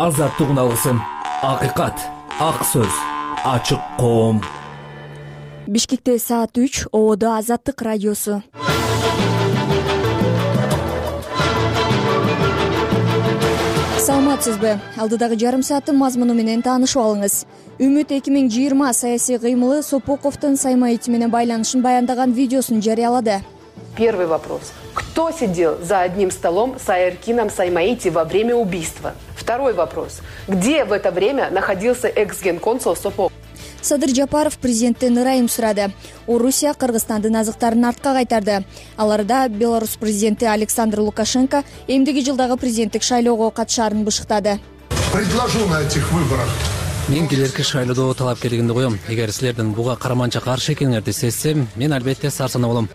азаттык алгысын. Акыйкат, ак сөз, ачык коом. Бишкекте саат 3, ободо Азаттык радиосу. Саламатсызбы? Алдыдагы жарым сааттын мазмуну менен таанышып алыңыз. Үмүт 2020 саясий кыймылы Сопоковдун Саймаити менен байланышын баяндаган видеосун жарыялады. Первый вопрос. Кто сидел за одним столом с Айркином Саймаити во время убийства? Второй вопрос. Где в это время находился экс-генконсул Сопоков? Садыр Жапаров президенттен ырайым сурады. Орусия Кыргызстандын азыктарын артка кайтарды. Аларда Беларусь президенти Александр Лукашенко эмдиги жылдагы президенттик шайлоого катышаарын бышыктады. Предложу на этих выборах. Мен келерки шайлоодо талапкерлигимди коем. Эгер силердин буга караманча каршы экениңерди сезсем, мен албетте сарсана болом.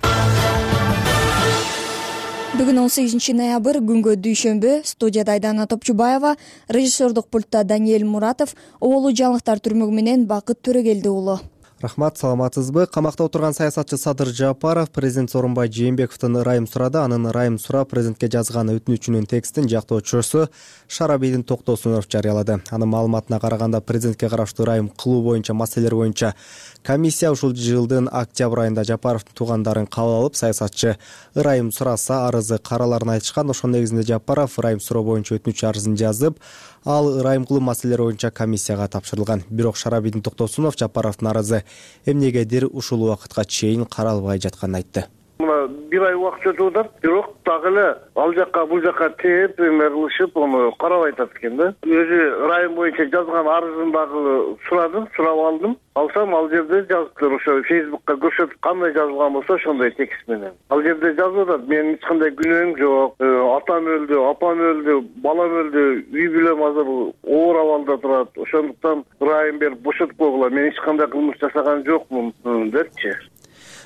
Бүгүн 18 ноябрь күнгө дүйшөмбү. Студияда Айдана Топчубаева, режиссердук пультта Даниэль Муратов, оболу жаңылыктар түрмөгү менен Бакыт Төрөгелди уулу. Рахмат, саламатсызбы? Камакта отурган саясатчы Садыр Жапаров президент Сооронбай Жээнбековдон ырайым сурады. Анын ырайым сурап президентке жазган өтүнүчүнүн текстин жактоочусу Шарабийдин Токтосунов жарыялады. Анын маалыматына караганда президентке караштуу ырайым кылуу боюнча маселелер боюнча комиссия ушул жылдын октябрь айында Жапаровдун туугандарын кабыл алып, саясатчы ырайым сураса арызы караларын айтышкан. Ошонун негизинде Жапаров ырайым суроо боюнча өтүнүч арызын жазып, ал ырайым кылуу маселелери боюнча комиссияга тапшырылган. Бирок Шарабийдин Токтосунов Жапаровдун арызы эмнегедир ушул убакытка чейин каралбай жатканын айтты. Мына бир ай убакыт өтүп атат, бирок дагы эле ал жакка бул жакка тээп кылышып, аны карабай атат экен да. Өзү ырайым боюнча жазган арызын дагы сурап алдым. Алсам ал жерде жазыптыр, ошо Facebook'ка көрсөтүп кандай жазылган болсо ошондой текст менен. Ал жерде жазып атат: менин эч кандай күнөөм жок, атам өлдү, апам өлдү, балам өлдү, үй бүлөм азыр оор абалда турат. Ошондуктан ырайым берип бошотуп койгула, мен эч кандай кылмыш жасаган жокмун депчи.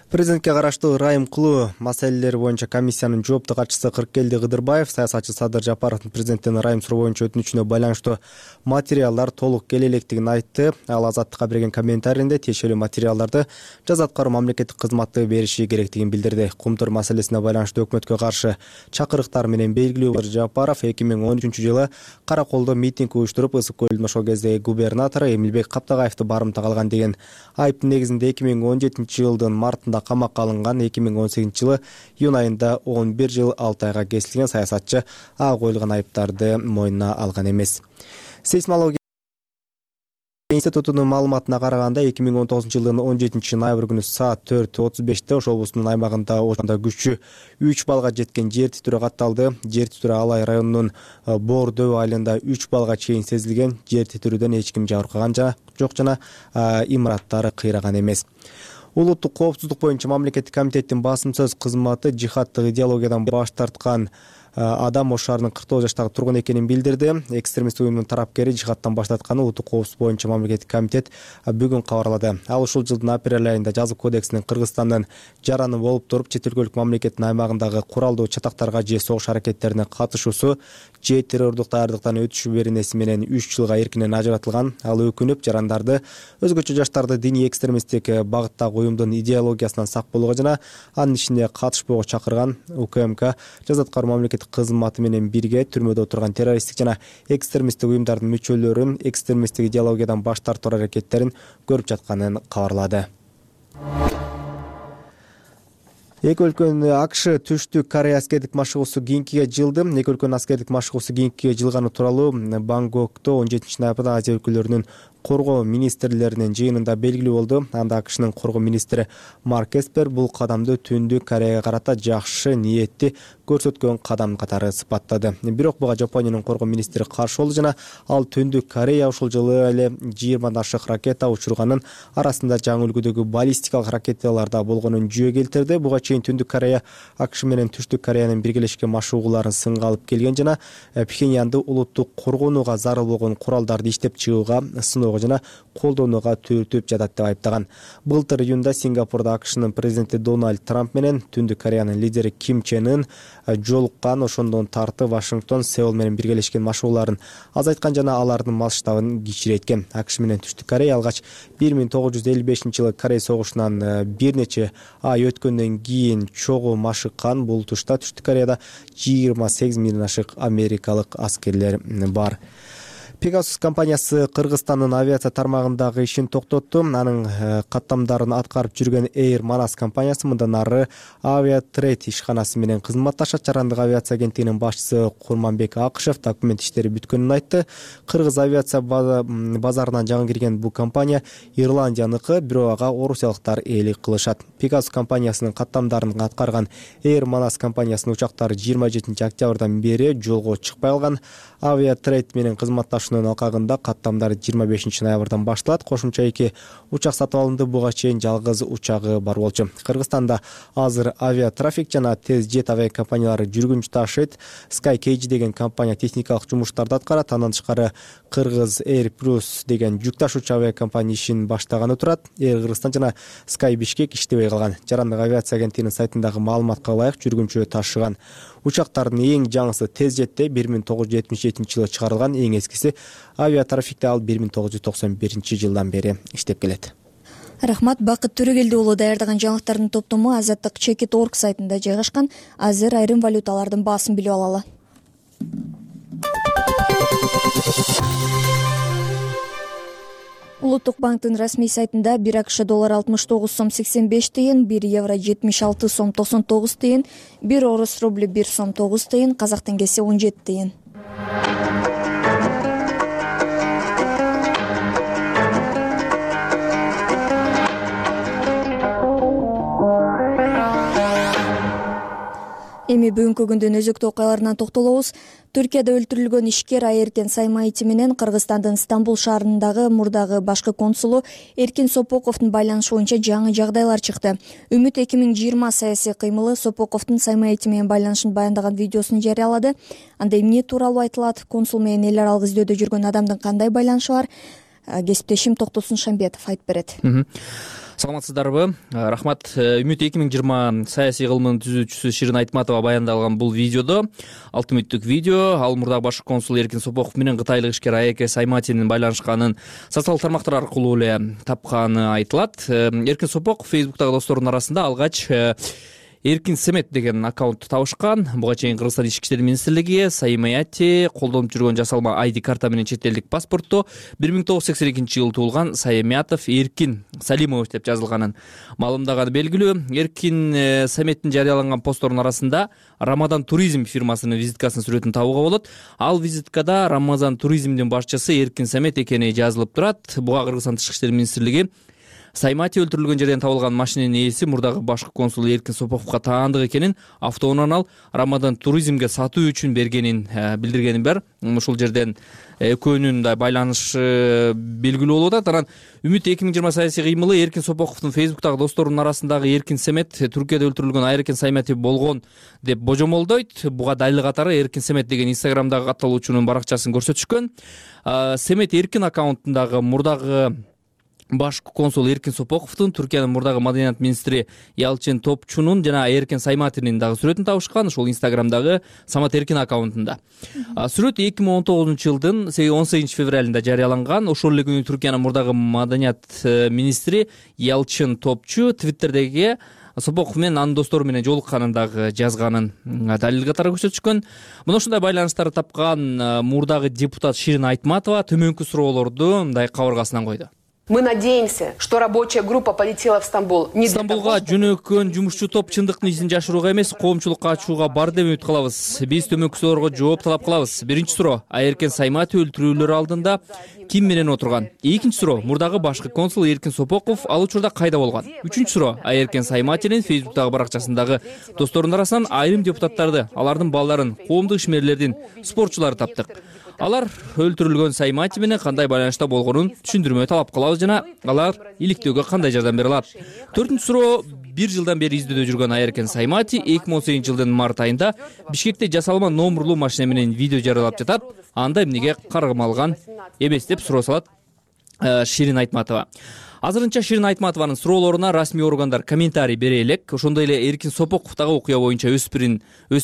Президентке караштуу ырайым кылуу маселелери боюнча комиссиянын жоопту катчысы Кыркелди Кыдырбаев саясатчы Садыр Жапаровдун президенттен ырайым суроо боюнча өтүнүчүнө байланыштуу материалдар толук келе электигин айтты. Ал Азаттыкка берген комментарийинде тиешелүү материалдарды жаза аткаруу мамлекеттик кызматы бериши керектигин билдирди. Кумтур маселесине байланыштуу өкмөткө каршы чакырыктар менен белгилүү Жапаров 2013-жылы Караколдо митинг уюштуруп, Ысык көлдүн ошол кездеги губернатору Эмилбек Каптагаевди барымтага алган деген айыптын негизинде 2017-жылдын мартында камакка алынган. 2018-жылы июнь айында 11 жыл 6 айга кесилген саясатчы коюлган айыптарды мойнуна алган эмес. Сейсмология институтунун маалыматына караганда 2019-жылдын 17 ноябрь күнү саат 4:35 ошол облустун аймагында күчү 3 балга жеткен жер титирөө катталды. Жер титирөө Алай районунун Боор дөбө айылында 3 балга чейин сезилген. Жер титирүүдөн эч ким жабыркаган жок жана имараттары кыйраган эмес. Улуттук коопсуздук боюнча мамлекеттик комитеттин басым сөз кызматы жихаддык идеологиядан баш тарткан адам Ош шаарынын 49 жаштагы тургун экенин билдирди. Экстремист уюмдун тарапкери жихадтан баш тартканы улуттук коопсуздук боюнча мамлекеттик комитет бүгүн кабарлады. Ал ушул жылдын апрель айында жазык кодексинин Кыргызстандын жараны болуп туруп чет өлкөлүк мамлекеттин аймагындагы куралдуу чатактарга же согуш аракеттерине катышуусу же террордук даярдыктан өтүшү беренеси менен 3 жылга эркинен ажыратылган. Ал өкүнүп жарандарды, өзгөчө жаштарды диний экстремисттик багыттагы уюмдун идеологиясынан сак болууга жана анын ишине катышпоого чакырган. УКМК жаза аткаруу мамлекеттик кызматы менен бирге түрмөдө отурган террористтик жана экстремисттик уюмдардын мүчөлөрүн экстремисттик идеологиядан баш тартуу аракеттерин көрүп жатканын кабарлады. Эки өлкөнүн АКШ түштүк Корея аскердик машыгуусу кийинкиге жылды. Эки өлкөнүн аскердик машыгуусу кийинкиге жылганы тууралуу Бангкокто 17 ноябрда Азия өлкөлөрүнүн коргоо министрлеринин жыйынында белгилүү болду. Анда АКШнын коргоо министри Марк Эспер бул кадамды Түндүк Кореяга карата жакшы ниетти көрсөткөн кадам катары сыпаттады. Бирок буга Жапониянын коргоо министри каршы болду жана ал Түндүк Корея ушул жылы эле 20 ашык ракета учурганын, арасында жаңы үлгүдөгү баллистикалык ракеталарда болгонун жүйө келтирди. Буга чейин Түндүк Корея АКШ менен Түштүк Кореянын биргелешкен машыгууларын сынга алып келген жана Пхеньянды улуттук коргонууга зарыл болгон куралдарды иштеп чыгууга жана колдонууга түртүп жатат деп айыптаган. Былтыр июнда Сингапурда АКШнын президенти Дональд Трамп менен Түндүк Кореянын лидери Ким Чен Ын жолуккан. Ошондон тартып Вашингтон Сеул менен биргелешкен машыгууларын азайткан жана алардын масштабын кичиреткен. АКШ менен Түштүк Корея алгач 1955-жылы Корея согушунан бир нече ай өткөндөн кийин чогуу машыккан. Бул тушта Түштүк Кореяда 28 миңден ашык америкалык аскерлер бар. Pegasus компаниясы Кыргызстандын авиация тармагындагы ишин токтотту. Анын каттамдарын аткарып жүргөн Air Manas компаниясы мындан ары Aviatrade ишканасы менен кызматташат. Жарандык авиация агенттигинин башчысы Курманбек Акышев документ иштери бүткөнүн айтты. Кыргыз авиация базарынан жаңы кирген бул компания Ирландияныкы, бирок ага орусиялыктар ээлик кылышат. Pegasus компаниясынын каттамдарын аткарган Air Manas компаниясынын учактары 27 октябрдан бери жолго чыкпай калган. Aviatrade менен кызматташуунун алкагында каттамдар 25 ноябрдан башталат. Кошумча 2 учак сатып алынды. Буга чейин жалгыз учагы бар болчу. Кыргызстанда азыр авиатрафик жана тез жет авиа компаниялары жүргүнчү ташыйт. SkyCage деген компания техникалык жумуштарды аткарат. Андан тышкары Кыргыз Air Plus деген жүк ташуучу авиа компания ишин баштаганы турат. Air Кыргызстан жана Sky Bishkek иштебей калган. Жарандык авиация агенттигинин сайтындагы маалыматка ылайык жүргүнчү ташыган учактардын эң жаңысы тез жетте 1977 жылы чыгарылган, эң эскиси авиатрафикте ал 1991 жылдан бери иштеп келет. Рахмат. Бакыт Төрөгелди уулу даярдаган жаңылыктардын топтому Азаттык Чекит.org сайтында жайгашкан. Азыр айрым валюталардын баасын билип алалы. Улуттук банктын расмий сайтында 1 АКШ доллар 69 сом 85 тыйын, 1 евро 76 сом 99 тыйын, 1 орус рубль 1 сом 9 тыйын, казак теңгеси 17 тыйын. Эми бүгүнкү күндүн өзөктүү окуяларына токтолобуз. Түркияда өлтүрүлгөн ишкер Айеркен Саймаити менен Кыргызстандын Стамбул шаарындагы мурдагы башкы консулу Эркин Сопоковдун байланышы боюнча жаңы жагдайлар чыкты. Үмүт 2020 саясий кыймылы Сопоковдун Саймаити менен байланышын баяндаган видеосун жарыялады. Анда эмне тууралуу айтылат? Консул менен эл аралык издөөдө жүргөн адамдын кандай байланышы бар? Кесиптешим Токтосун Шамбетов айтып берет. Саламатсыздарбы? Рахмат. Үмүт 2020 саясий кыймылынын түзүүчүсү Ширин Айтматова баяндалган бул видеодо алты мүнөттүк видео ал мурдагы башкы консул Эркин Сопоков менен кытайлык ишкер Айеркен Сайматинин байланышканын социалдык тармактар аркылуу эле тапканы айтылат. Эркин Сопоков Фейсбуктагы досторунун арасында алгач Эркин Семет деген аккаунтту табышкан. Буга чейин Кыргызстан ички иштер министрлиги Саймати колдонуп жүргөн жасалма ID карта менен чет элдик паспортто 1982 жылы туулган Саймятов Эркин Салимович деп жазылганын маалымдаганы белгилүү. Эркин Семеттин жарыяланган постторунун арасында Рамазан туризм фирмасынын визиткасынын сүрөтүн табууга болот. Ал визиткада Рамазан туризмдин башчысы Эркин Семет экени жазылып турат. Буга Кыргызстан ички иштер министрлиги Саймати өлтүрүлгөн жерден табылган машинанын ээси мурдагы башкы консул Эркин Сопоковго таандык экенин, автоунан ал Рамазан туризмге сатуу үчүн бергенин билдиргени бар. Ушул жерден экөөнүн да байланышы белгилүү болуп атат. Анан Үмүт 2020 саясий кыймылы Эркин Сопоковдун Фейсбуктагы досторунун арасындагы Эркин Семет Түркияда өлтүрүлгөн Айеркен Саймати болгон деп божомолдойт. Буга далил катары Эркин Семет деген Инстаграмдагы катталуучунун баракчасын көрсөтүшкөн. Семет Эркин аккаунтундагы мурдагы башкы консул Эркин Сопоковдун, Түркиянын мурдагы маданият министри Ялчин Топчунун жана Айеркен Сайматинин дагы сүрөтүн табышкан. Ошол Инстаграмдагы Самат Эркин аккаунтунда. Сүрөт 2019 жылдын 18 февралында жарыяланган. Ошол эле күнү Түркиянын мурдагы маданият министри Ялчин Топчу Твиттердеги Сопоков менен анын достору менен жолукканын дагы жазганын далил катары көрсөтүшкөн. Мына ушундай байланыштарды тапкан мурдагы депутат Ширин Айтматова төмөнкү суроолорду мындай кабыргасынан койду. Мы надеемся, что рабочая группа полетела в Стамбул. Стамбулга жөнөккөн жумушчу топ чындыктын изин жашырууга эмес, коомчулукка ачууга бар деп үмүт кылабыз. Биз төмөнкү суроолорго жооп талап кылабыз. Биринчи суроо: Айеркен Саймати өлтүрүүлөр алдында ким менен отурган? Экинчи суроо: мурдагы башкы консул Эркин Сопоков ал учурда кайда болгон? Үчүнчү суроо: Айеркен Сайматинин Фейсбуктагы баракчасындагы досторунун арасынан айрым депутаттарды, алардын балдарын, коомдук ишмерлердин, спортчуларды таптык. Алар өлтүрүлгөн Саймати менен кандай байланышта болгонун түшүндүрмө талап кылабыз жана алар иликтөөгө кандай жардам бере алат? Төртүнчү суроо: 1 жылдан бери издөөдө жүргөн Айеркен Саймати 2018 жылдын март айында Бишкекте жасалма номурлуу машина менен видео жарыялап жатат. Анда эмнеге каргыма алган эмес деп суроо салат Ширин Айтматова. Азырынча Ширин Айтматованын суроолоруна расмий органдар комментарий бере элек. Ошондой эле Эркин Сопоковдагы окуя боюнча өз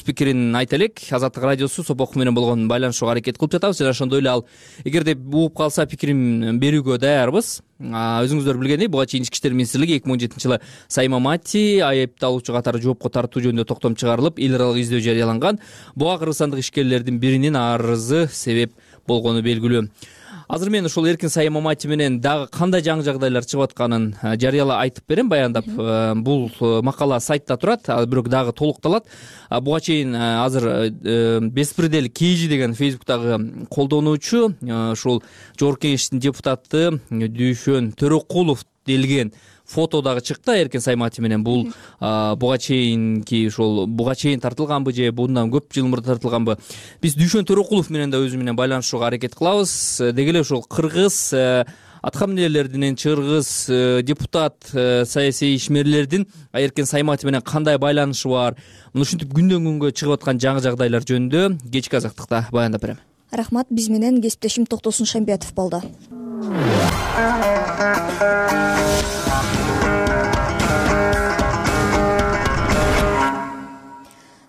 пикирин айта элек. Азаттык радиосу Сопоков менен болгон байланышууга аракет кылып жатабыз жана ошондой эле ал эгерде угуп калса пикирин берүүгө даярбыз. Өзүңүздөр билгендей, буга чейин ички иштер министрлиги 2017 жылы Саймамати айыпталуучу катары жоопко тартуу жөнүндө токтом чыгарылып, эл аралык издөө жарыяланган. Буга кыргызстандык ишкерлердин биринин арызы себеп болгону белгилүү. Азыр мен ошол Эркин Сайым Мамати менен дагы кандай жаңы жагдайлар чыгып атканын жарыялап айтып берем, баяндап. Бул макала сайтта турат, бирок дагы толукталат. Буга чейин азыр Беспредел Кейжи деген Facebook'тагы колдонуучу ушул Жогорку Кеңештин депутаты Дүйшөн Төрөкулов делген фото дагы чыкты Эркин Саймати менен. Бул буга чейин тартылганбы же bundan көп жыл мурда тартылганбы? Биз Дүйшөн Төрөкулов менен да өзү менен байланышууга аракет кылабыз. Деги эле ошол кыргыз аткаминерлердин, чыргыз депутат, саясий ишмерлердин Эркин Саймати менен кандай байланышы бар? Муну ушинтип күндөн күнгө чыгып аткан жаңы жагдайлар жөнүндө кечки азаттыкта баяндап берем. Рахмат, биз менен кесиптешим Токтосун Шамбиятов болду.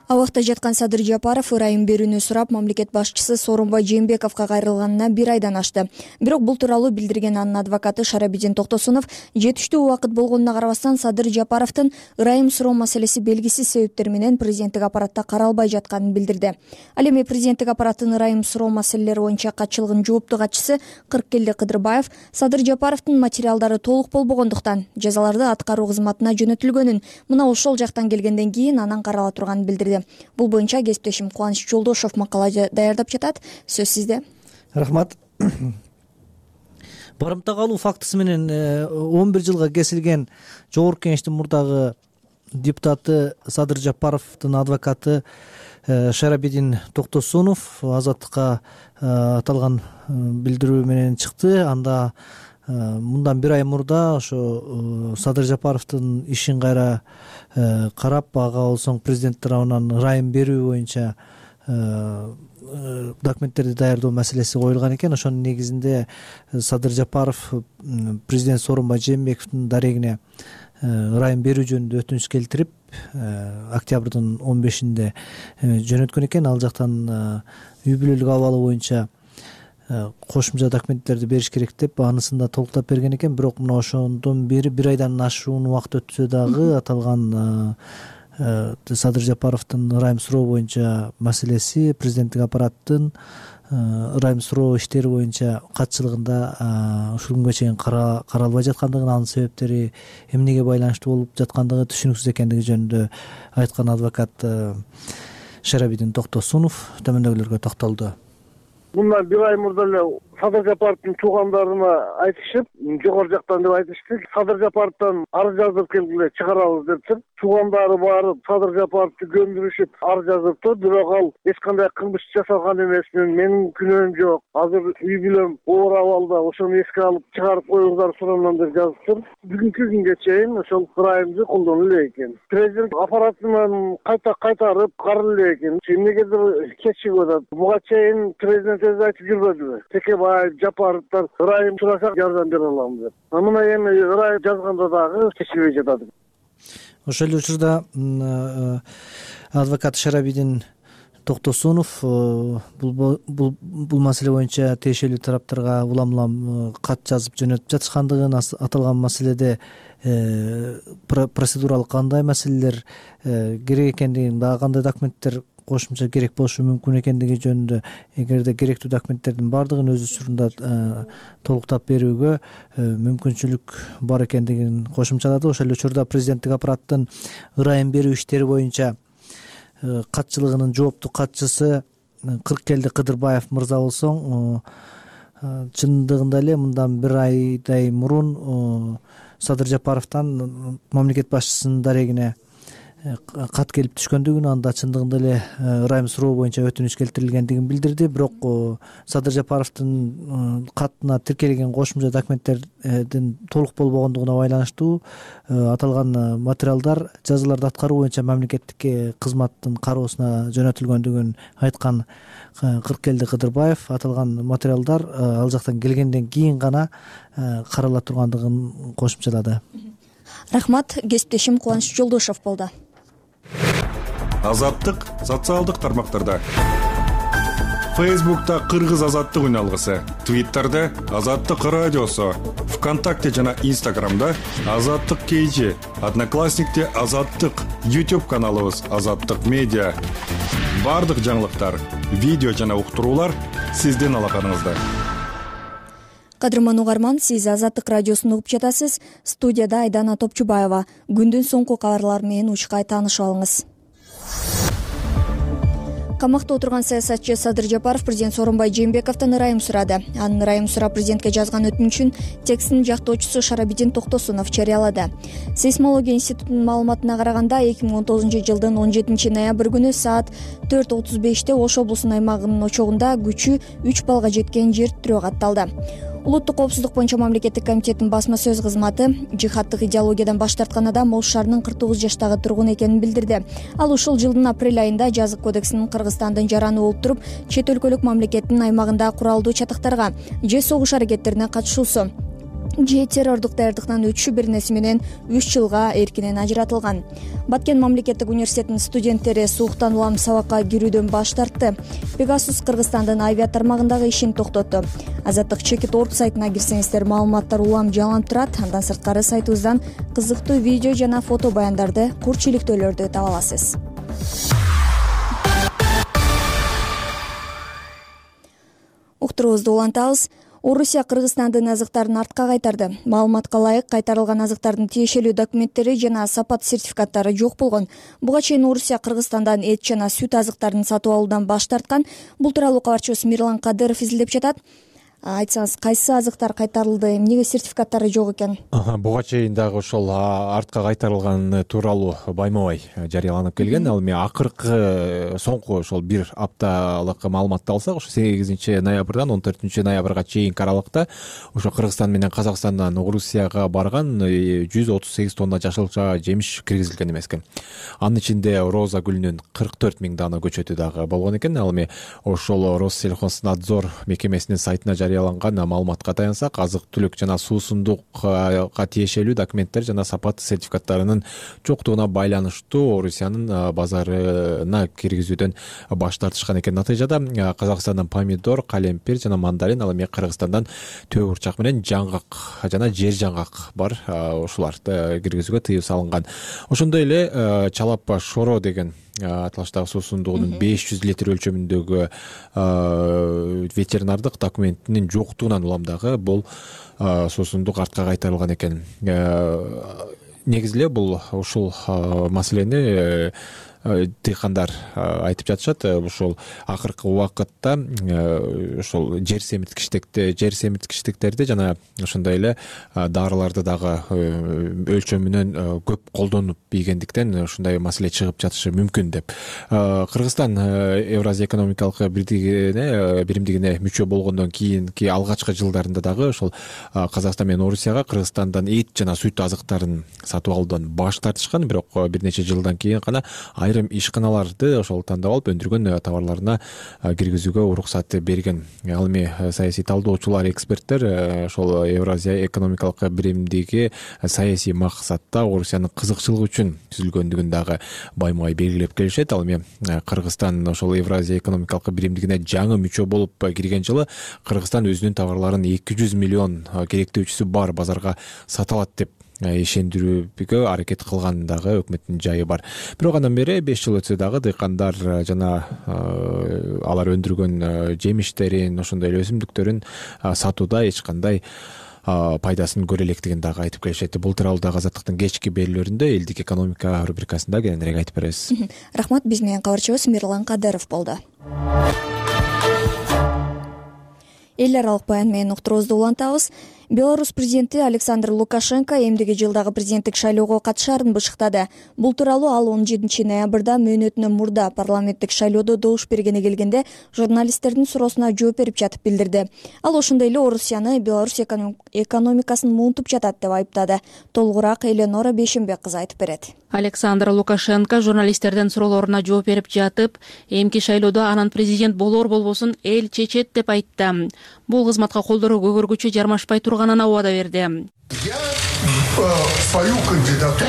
Абакта жаткан Садыр Жапаров ырайым берүүнү сурап, мамлекет башчысы Сооронбай Жээнбековго кайрылганына 1 айдан ашты. Бирок бул тууралуу билдирген анын адвокаты Шарабидин Токтосунов жетиштүү убакыт болгонуна карабастан Садыр Жапаровдун ырайым суроо маселеси белгисиз себептер менен президенттик аппаратта каралбай жатканын билдирди. Ал эми президенттик аппараттын ырайым суроо маселелери боюнча катчылыгынын жооптуу катчысы Кыркелди Кыдырбаев Садыр Жапаровдун материалдары толук болбогондуктан жазаларды аткаруу кызматына жөнөтүлгөнүн, мына ошол жактан келгенден кийин анан карала турганын билдирди. Бул боюнча кесиптешим Кубаныч Жолдошов макала даярдап жатат. Сөз сизде. Рахмат. Барымта калуу фактысы менен 11 жылга кесилген Жогорку Кеңештин мурдагы депутаты Садыр Жапаровдун адвокаты Шарабидин Токтосунов азаттыкка аталган билдирүү менен чыкты. Анда мындан 1 ай мурда ошо Садыр Жапаровдун ишин кайра карап, ага болсоң президент тарабынан ырайым берүү боюнча документтерди даярдоо маселеси коюлган экен. Ошонун негизинде Садыр Жапаров президент Сооронбай Жээнбековдун дарегине ырайым берүү жөнүндө өтүнүч келтирип, октябрдын 15-inde жөнөткөн экен. Ал жактан үй бүлөлүк абалы боюнча кошумча документтерди бериш керек деп анысын да толуктап берген экен. Бирок мына ошондон бери 1 айдан ашуун убакыт өтсө дагы аталган Садыр Жапаровдун ырайым суроо боюнча маселеси президенттик аппараттын ырайым суроо иштери боюнча катчылыгында ушул күнгө чейин каралбай жаткандыгын, анын себептери эмнеге байланыштуу болуп жаткандыгы түшүнүксүз экендиги жөнүндө айткан адвокат Шарабидин Токтосунов төмөндөгүлөргө токтолду. Bundan 1 ay murda эле Садыр Жапаровдун туугандарына айтышып, жогору жактан деп айтышты. Садыр Жапаровдон арыз жазып келгиле, чыгарабыз депчи. Туугандары барып Садыр Жапаровду көндүрүшүп арыз жазыптыр. Бирок ал эч кандай кылмыш жасалган эмес, менин күнөөм жок. Азыр үй бүлөм оор абалда, ошону эске алып чыгарып коюңуздар сураман деп жазыптыр. Бүгүнкү күнгө чейин ошол ырайымды колдонулу эле экен. Президент аппаратынан кайтарып каралуу эле экен. Эмнегедир кечигип атат. Буга чейин президент өзү айтып жүрбөдүбү? Жапаровдор ырайым сурасак жардам бере алам деп. Мына эми ырайым жазганда дагы кечигибей жатат. Ошол эле учурда адвокат Шарабидин Токтосунов бул маселе боюнча тиешелүү тараптарга улам кат жазып жөнөтүп жатышкандыгын, аталган маселеде процедуралык кандай маселелер керек экендигин, дагы кандай документтер кошумча керек болушу мүмкүн экендиги жөнүндө, эгерде керектүү документтердин баардыгын өз учурунда толуктап берүүгө мүмкүнчүлүк бар экендигин кошумчалады. Ошол эле учурда президенттик аппараттын ырайым берүү иштери боюнча катчылыгынын жооптуу катчысы Кыркелди Кыдырбаев мырза болсоң, чындыгында эле мындан 1 айдай мурун Садыр Жапаровдон мамлекет башчысынын дарегине кат келип түшкөндүгүн, анда чындыгында эле ырайым суроо боюнча өтүнүч келтирилгендигин билдирди. Бирок Садыр Жапаровдун катына тиркелген кошумча документтердин толук болбогондугуна байланыштуу аталган материалдар жазаларды аткаруу боюнча мамлекеттик кызматтын кароосуна жөнөтүлгөндүгүн айткан Кыркелди Кыдырбаев, аталган материалдар ал жактан келгенден кийин гана карала тургандыгын кошумчалады. Рахмат, кесиптешим Кубаныч Жолдошов болду. Азаттык социалдык тармактарда. Facebook'ta Кыргыз азаттык үналгысы, Twitter'da Азаттык радиосу, ВКонтакте жана Instagram'da Азаттык KG, Одноклассникте Азаттык, YouTube каналыбыз Азаттык медиа. Бардык жаңылыктар видео жана уктуруулар сиздин алаканыңызда. Кадырман угарман, сиз Азаттык радиосун угуп жатасыз. Студияда Айдана Топчубаева. Күндүн соңку кабарлары менен учкай таанышып алыңыз. Камакта отурган саясатчы Садыр Жапаров президент Сооронбай Жээнбековдон ырайым сурады. Анын ырайым сурап президентке жазган өтүнүчүн текстин жактоочусу Шарабидин Токтосунов жарыялады. Сейсмология институтунун маалыматына караганда 2019 жылдын 17 ноябрь күнү саат 4:35 Ош облусунун аймагынын очогунда күчү 3 баллга жеткен жер тирөө катталды. Улуттук коопсуздук боюнча мамлекеттик комитеттин басма сөз кызматы жихаддык идеологиядан баш тарткан адам Ош шаарынын 49 жаштагы тургун экенин билдирди. Ал ушул жылдын апрель айында жазык кодексинин Кыргызстандын жараны болуп туруп, чет өлкөлүк мамлекеттин аймагында куралдуу чатактарга же согуш аракеттерине катышуусу же террордук даярдыктан өтүшү беренеси менен 3 жылга эркинен ажыратылган. Баткен мамлекеттик университетинин студенттери сууктан улам сабакка кирүүдөн баш тартты. Pegasus Кыргызстандын авиа тармагындагы ишин токтотту. Азаттык Чекит.org сайтына кирсеңиздер, маалыматтар улам жаланып турат. Андан сырткары сайтыбыздан кызыктуу видео жана фото баяндарды, курч иликтөөлөрдү таба аласыз. Уктуруубузду улантабыз. Орусия Кыргызстандын азыктарын артка кайтарды. Маалыматка ылайык, кайтарылган азыктардын тиешелүү документтери жана сапат сертификаттары жок болгон. Буга чейин Орусия Кыргызстандан эт жана сүт азыктарын сатып алуудан баш тарткан. Бул тууралуу кабарчыбыз Мирлан Кадыров изилдеп жатат. Айтсаңыз, кайсы азыктар кайтарылды, эмнеге сертификаттары жок экен? Буга чейин дагы ошол артка кайтарылган тууралуу байма-бай жарыяланып келген. Ал эми акыркы соңку ошол бир апталык маалыматты алсак, ошо 8 ноябрдан 14 ноябрга чейинки аралыкта ошо Кыргызстан менен Казакстандан Орусияга барган 138 тонна жашылча жемиш киргизилген эмес экен. Анын ичинде роза гүлүнүн 44 000 дана көчөтү дагы болгон экен. Ал эми ошол Россельхознадзор мекемесинин сайтына жарыяланган маалыматка таянсак, азык-түлүк жана суусундукка тиешелүү документтер жана сапат сертификаттарынын жоктугуна байланыштуу Орусиянын базарына киргизүүдөн баш тартышкан экен. Натыйжада Казакстандан помидор, калемпир жана мандарин, ал эми Кыргызстандан төө бурчак менен жаңгак жана жер жаңгак бар. Ушуларды киргизүүгө тыюу салынган. Ошондой эле чалапа шоро деген аталыштагы суусундугунун 500 литр өлчөмүндөгү ветеринардык документинин жоктугунан улам дагы бул суусундук артка кайтарылган экен. Негизи эле бул ушул маселени дыйкандар айтып жатышат. Ошол акыркы убакытта ошол жер семирткичтиктерди жана ошондой эле дарыларды дагы өлчөмүнөн көп колдонуп ийгендиктен ушундай маселе чыгып жатышы мүмкүн деп. Кыргызстан Евразия экономикалык биримдигине мүчө болгондон кийинки алгачкы жылдарында дагы ошол Казакстан менен Орусияга Кыргызстандан эт жана сүт азыктарын сатып алуудан баш тартышкан. Бирок бир нече жылдан кийин гана айрым ишканаларды ошол тандап алып өндүргөн товарларына киргизүүгө уруксат берген. Ал эми саясий талдоочулар, эксперттер ошол Евразия экономикалык биримдиги саясий максатта Орусиянын кызыкчылыгы үчүн түзүлгөндүгүн дагы байма-бай белгилеп келишет. Ал эми Кыргызстан ошол Евразия экономикалык биримдигине жаңы мүчө болуп кирген жылы Кыргызстан өзүнүн товарларын 200 миллион керектөөчүсү бар базарга сата алат деп ишендирүүгө аракет кылган дагы өкмөттүн жайы бар. Бирок андан бери 5 жыл өтсө дагы дыйкандар жана алар өндүргөн жемиштерин, ошондой эле өсүмдүктөрүн сатууда эч кандай пайдасын көрө электигин дагы айтып келишет. Бул тууралуу дагы Азаттыктын кечки берүүлөрүндө элдик экономика рубрикасында кененирээк айтып беребиз. Рахмат, биз менен кабарчыбыз Мирлан Кадыров болду. Эл аралык баян менен уктуруубузду улантабыз. Беларусь президенти Александр Лукашенко эмдиги жылдагы президенттик шайлоого катышаарын бышыктады. Бул тууралуу ал 17 ноябрда мөөнөтүнөн мурда парламенттик шайлоодо добуш бергени келгенде журналисттердин суроосуна жооп берип жатып билдирди. Ал ошондой эле Орусияны Беларусь экономикасын муунтуп жатат деп айыптады. Толугураак Эленора Бейшембек кызы айтып берет. Александр Лукашенко журналисттердин суроолоруна жооп берип жатып, эмки шайлоодо анан президент болор болбосун эл чечет деп айтты. Бул кызматка колдоруу көгөргүчө жармашпай турганына убада берди. Я свою кандидатуру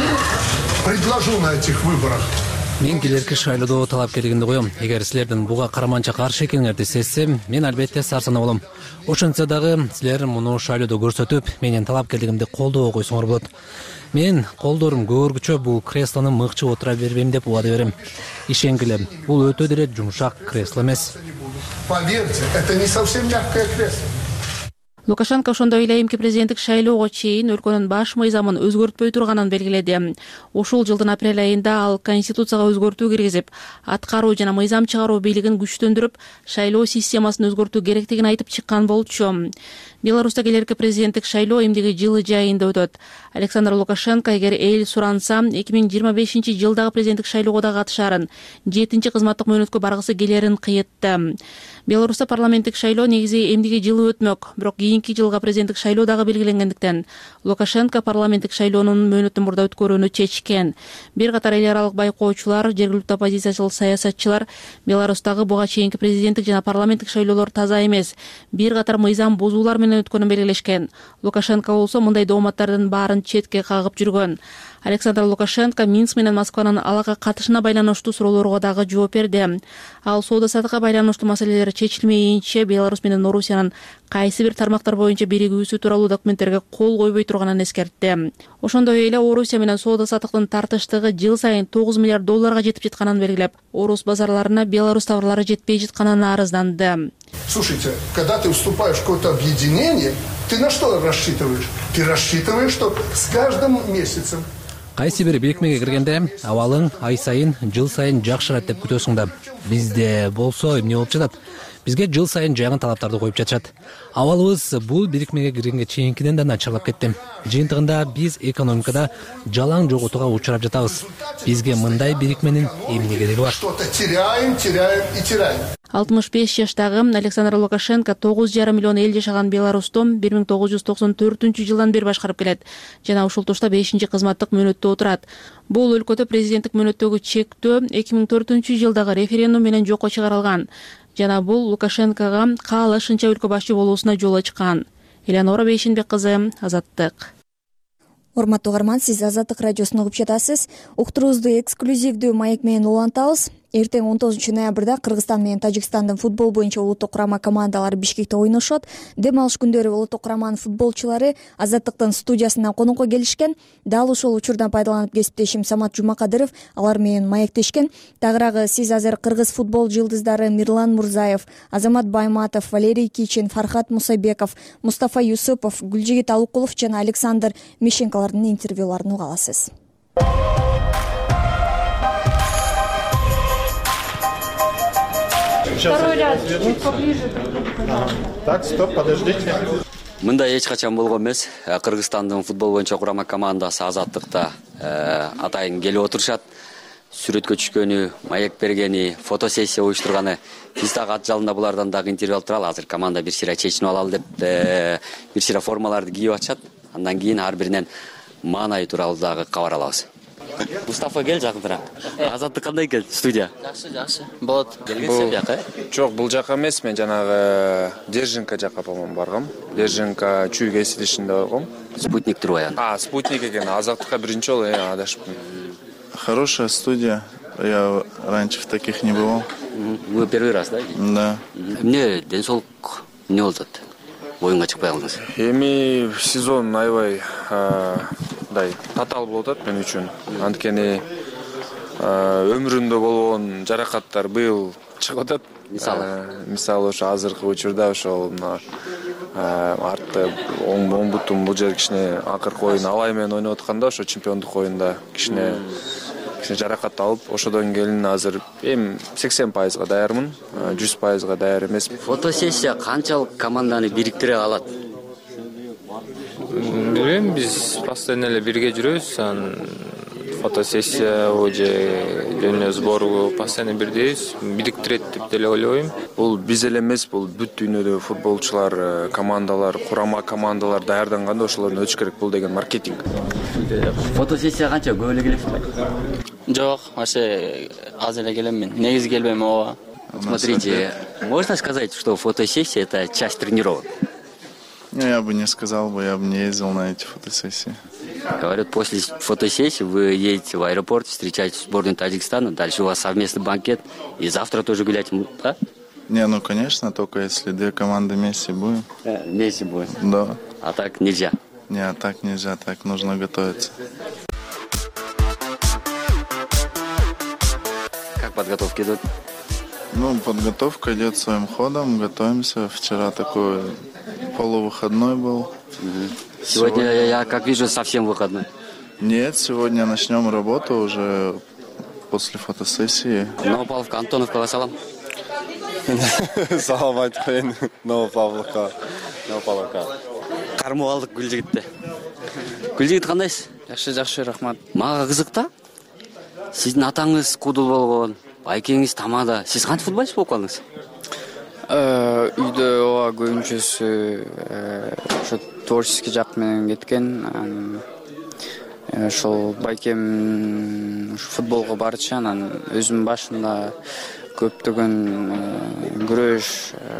предложу на этих выборах Мен келерки шайлоодо талапкерлигимди коем. Эгер силердин буга караманча каршы экениңерди сезсем, мен албетте сарсанаа болом. Ошентсе дагы силер муну шайлоодо көрсөтүп, менин талапкерлигимди колдоо койсоңор болот. Мен колдорум көбөргүчө бул креслону мыкчып отура бербейм деп убада берем. Ишенгиле, бул өтө деле жумшак кресло эмес. Поверьте, это не совсем мягкое кресло. Лукашенко ошондой эле эмки президенттик шайлоого чейин өлкөнүн баш мыйзамын өзгөртпөй турганын белгиледи. Ушул жылдын апрель айында ал конституцияга өзгөртүү киргизип, аткаруу жана мыйзам чыгаруу бийлигин күчтөндүрүп, шайлоо системасын өзгөртүү керектигин айтып чыккан болчу. Беларуста келерки президенттик шайлоо эмдиги жылы жайында өтөт. Александр Лукашенко эгер эл суранса 2025-жылдагы президенттик шайлоого да катышарын, 7-чи кызматтык мөөнөткө баргысы келерин кыйытты. Беларуста парламенттик шайлоо негизи эмдиги жылы өтмөк, бирок кийинки жылга президенттик шайлоо дагы белгиленгендиктен Лукашенко парламенттик шайлоонун мөөнөтүн мурда өткөрүүнү чечкен. Бир катар эл аралык байкоочулар, жергиликтүү оппозициячыл саясатчылар Беларустагы буга чейинки президенттик жана парламенттик шайлоолор таза эмес, бир катар мыйзам бузуулар менен өткөнүн белгилешкен. Лукашенко болсо мындай дооматтардын баарын четке кагып жүргөн. Александр Лукашенко Минск менен Москванын алага катышына байланыштуу суроолорго дагы жооп берди. Ал соода-саттыкка байланыштуу маселелер чечилмейинче Беларусь менен Орусиянын кайсы бир тармактар боюнча биригүүсү тууралуу документтерге кол койбой турганын эскертти. Ошондой эле Орусия менен соода-саттыктын тартыштыгы жыл сайын $9 миллиард жетип жатканын белгилеп, Орус базарларына Беларусь товарлары жетпей жатканын арызданды. Слушайте, когда ты вступаешь в какое-то объединение, ты на что рассчитываешь? Ты рассчитываешь, что с каждым месяцем Кайсы бир бирикмеге киргенде абалың ай сайын, жыл сайын жакшырат деп күтөсүң да. Бизде болсо эмне болуп жатат? Бизге жыл сайын жайган талаптарды коюп жатышат. Абалыбыз бул бирикмеге киргенге чейинкиден да начарлап кетти. Жыйынтыгында биз экономикада жалаң жоготууга учурап жатабыз. Бизге мындай бирикменин эмне кереги бар? что-то теряем и теряем. 65 жаштагы Александр Лукашенко 9,5 миллион эл жашаган Беларусьту 1994-жылдан бери башкарып келет жана ушул тушта 5-чи кызматтык мөөнөттө отурат. Бул өлкөдө президенттик мөөнөттөгү чектөө 2004-жылдагы референдум менен жокко чыгарылган жана бул Лукашенкого каалашынча өлкө башчы болуусуна жол ачкан. Элеонора Бейшенбек кызы, Азаттык. Урматтуу угарман, сиз Азаттык радиосун угуп жатасыз. Уктуруубузду эксклюзивдүү маек менен улантабыз. Эртең 19-ноябрда Кыргызстан менен Тажикстандын футбол боюнча улуттук курама командалары Бишкекте ойношот. Дем алыш күндөрү улуттук кураманын футболчулары Азаттыктын студиясына конокко келишкен. Дал ушул учурдан пайдаланып кесиптешим Самат Жумакадыров алар менен маектешкен. Тагыраагы сиз азыр кыргыз футбол жылдыздары Мирлан Мурзаев, Азамат Байматов, Валерий Кичин, Фархат Мусайбеков, Мустафа Юсупов, Гүлжигит Алукулов жана Александр Мишенкалардын интервьюларын уга аласыз. Второй ряд, чуть поближе. Так, стоп, подождите. Мындай эч качан болгон эмес. Кыргызстандын футбол боюнча курама командасы Азаттыкта атайын келип отурушат. Сүрөткө түшкөнү, маек бергени, фотосессия уюштурганы. Биз дагы ат жалында булардан дагы интервью алып туралы. Азыр команда бир сыйра чечинип алалы деп бир сыйра формаларды кийип атышат. Андан кийин ар биринен маанайы тууралуу дагы кабар алабыз. Мустафа кел жакыныраак. Азаттык кандай экен студия? Жакшы. Болот. Келгенсиң жака? Жок, бул жака эмес, мен жанагы Держинка жака по-моему баргам. Держинка чүй кесилишинде баргам. Спутник турбайбы? Спутник экен. Азаттыкка биринчи жолу адашыпмын. Хорошая студия. Я раньше в таких не бывал. Вы первый раз, да? Да. Эмне ден соолук эмне болуп атат? Оюнга чыкпай калдыңыз. Эми сезон аябай татаал болуп атат мен үчүн. Анткени өмүрүмдө болгон жаракаттар быйыл чыгып атат. Мисалы ошо азыркы учурда ошол артта оң бутум бул жер кичине акыркы оюн Алай менен ойноп атканда ошо чемпиондук оюнда кичине жаракат алып, ошодон кийин азыр эми 80% даярмын, 100% даяр эмес. Фотосессия канчалык команданы бириктире алат? Билбейм, биз постоянно эле бирге жүрөбүз. Фотосессия же жөнүндө сбору постоянно бирдейбиз, бириктирет деп деле ойлойм. Бул биз эле эмес, бул бүт дүйнөдө футболчулар, командалар, курама командалар даярданганда ошолордун өтүш керек, бул деген маркетинг. Фотосессия канча көп эле келесиңби? Жок, вообще аз эле келем мен. Негизи келбейм ооба. Смотрите, можно сказать, что фотосессия — это часть тренировок? Я бы не сказал, я бы не ездил на эти фотосессии. Говорят, после фотосессии вы едете в аэропорт, встречаете сборную Таджикистана, дальше у вас совместный банкет, и завтра тоже гулять, да? Не, ну конечно, только если две команды вместе будем. Вместе будем? Да. А так нельзя? Не, так нельзя, так нужно готовиться. Как подготовки идут? Ну, подготовка идет своим ходом, готовимся. Вчера такой полувыходной был. Сегодня я, как вижу, совсем выходной. Нет, сегодня начнем работу уже после фотосессии. Новопавловка, Антоновка, салам. Салам айтпайын, Новопавловка. Кармоо алдык Гүлжигитте. Гүлжигит кандайсыз? Жакшы, рахмат. Мага кызык да. Сиздин атаңыз кудул болгон, байкеңиз тамада. Сиз кантип футболчу болуп калдыңыз? Үйдө ооба көбүнчөсү ошо творческий жак менен кеткен. Ошол байкем футболго барчу, анан өзүм башында көптөгөн күрөш,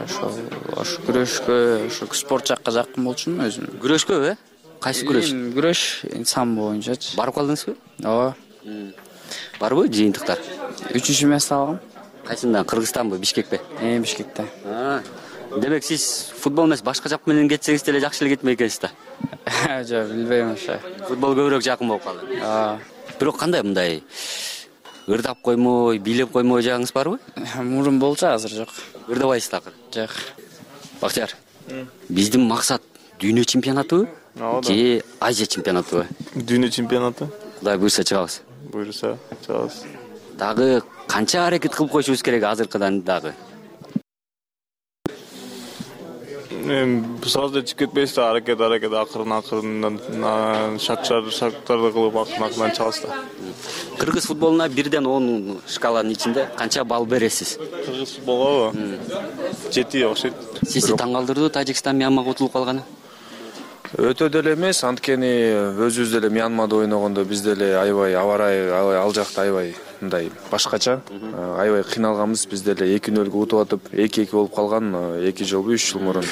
ошо күрөшкө, ошо спорт жакка жакын болчумун өзүм. Күрөшкө, Кайсы күрөш? Күрөш самбо боюнчачы. Барып калдыңызбы? Ооба. Барбы жыйынтыктар? 3-үчү месте алгам. Кайсында? Кыргызстанбы, Бишкекпи? Бишкекте. Демек сиз футбол эмес, башка жак менен кетсеңиз деле жакшы эле кетмек экенсиз да. Жок, билбейм ошо. Футбол көбүрөөк жакын болуп калды. Бирок кандай мындай ырдап коймой, бийлеп коймой жагыңыз барбы? Мурун болчу, азыр жок. Ырдабайсыз такыр? Жок. Бактияр, биздин максат дүйнө чемпионатыбы же Азия чемпионатыбы? Дүйнө чемпионаты. Кудай буйрса чыгабыз. Буйрса чыгабыз. Дагы канча аракет кылып коюшубуз керек азыркыдан дагы? Сразу да чыгып кетпейсиз да, аракет акырын шактарды кылып акырын чыгабыз да. Кыргыз футболуна 1-10 шкаланын ичинде канча балл бересиз? Кыргыз футболго 7 окшойт. Сизди таң калтырды Тажикстан Мьянмага утулуп калганы? Өтө деле эмес, анткени өзүбүз деле Мьянмада ойногондо биз деле аябай абарай ал жакта аябай мындай башкача, аябай кыйналганбыз. Биз деле 2-0 утуп атып, 2-2 болуп калган 2 жолбу 3 жыл мурун.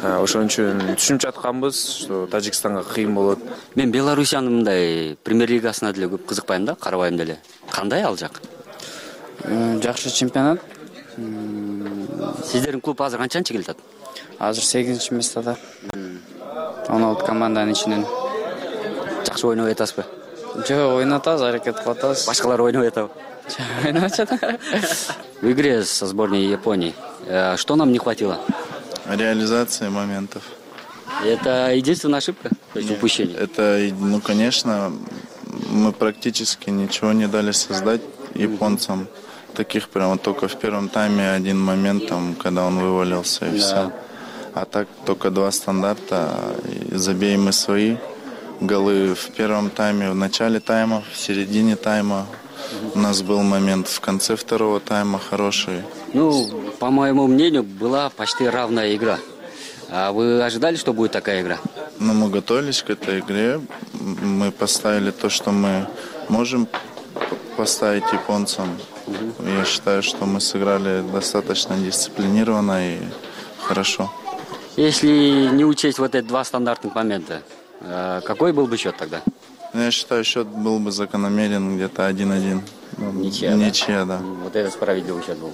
Ошон үчүн түшүнүп жатканбыз, Тажикстанга кыйын болот. Мен Белоруссиянын мындай премьер лигасына деле көп кызыкпайм да, карабайм деле. Кандай ал жак? Жакшы чемпионат. Сиздердин клуб азыр канчанчы келатат? Азыр 8-чи местада. 16 команданын ичинен. Жакшы ойнобой атасызбы? Жок, ойнотабыз, аракет кылып атабыз. Башкалар ойнобой атабы? Ойноп атат. В игре со сборной Японии что нам не хватило? Реализации моментов. Это единственная ошибка? То есть упущение? Это, ну, конечно, мы практически ничего не дали создать японцам. Таких прямо только в первом тайме один момент, там, когда он вывалился и все. А так только 2 стандарта. Забей мы свои голы в первом тайме, в начале тайма, в середине тайма. У нас был момент в конце второго тайма хороший. Ну, по моему мнению, была почти равная игра. А вы ожидали, что будет такая игра? Ну, мы готовились к этой игре. Мы поставили то, что мы можем поставить японцам. Я считаю, что мы сыграли достаточно дисциплинированно и хорошо. Если не учесть вот эти 2 стандартных момента, какой был бы счет тогда? Я считаю, счет был бы закономерен где-то 1-1. Ничья, да. Вот это справедливый счет был.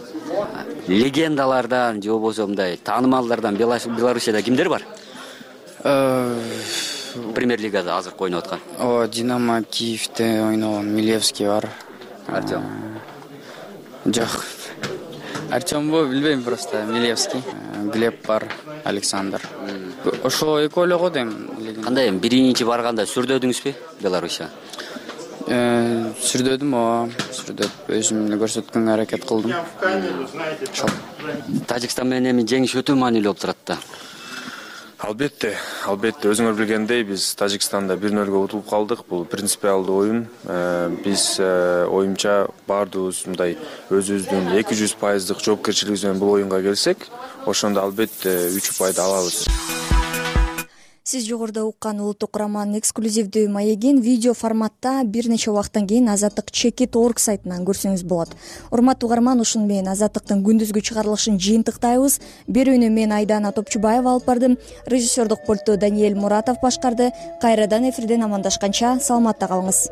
Легендалардан, же болбосо мындай таанымалдардан Белоруссияда кимдер бар? Премьер лигада азыр ойноп аткан. Динамо Киевте ойногон Милевский бар. Артем. Жок. Артембу билбейм, просто Милевский. Глеб бар, Александр. Ошо экөө эле го дейм. Кандай эми биринчи барганда сүрдөдүңүзбү Белоруссия? Сүрдөдүм, сүрдөп өзүм эле көрсөткөнгө аракет кылдым. Тажикстан менен эми жеңиш өтө маанилүү болуп турат да. Албетте, өзүңөр билгендей биз Тажикстанда 1-0 утулуп калдык. Бул принципиалдуу оюн. Биз оюмча баардыгыбыз мындай өзүбүздүн 200% жоопкерчилигибиз менен бул оюнга келсек, ошондо албетте 3 упайды алабыз. Сиз жогоруда уккан улуттук кураманын эксклюзивдүү маегин видео форматта бир нече убакыттан кийин Азаттык Чекит.org сайтынан көрсөңүз болот. Урматтуу угарман, ушуну менен Азаттыктын күндүзгү чыгарылышын жыйынтыктайбыз. Берүүнү мен Айдана Топчубаева алып бардым. Режиссердук пультту Даниэль Муратов башкарды. Кайрадан эфирден амандашканча саламатта калыңыз.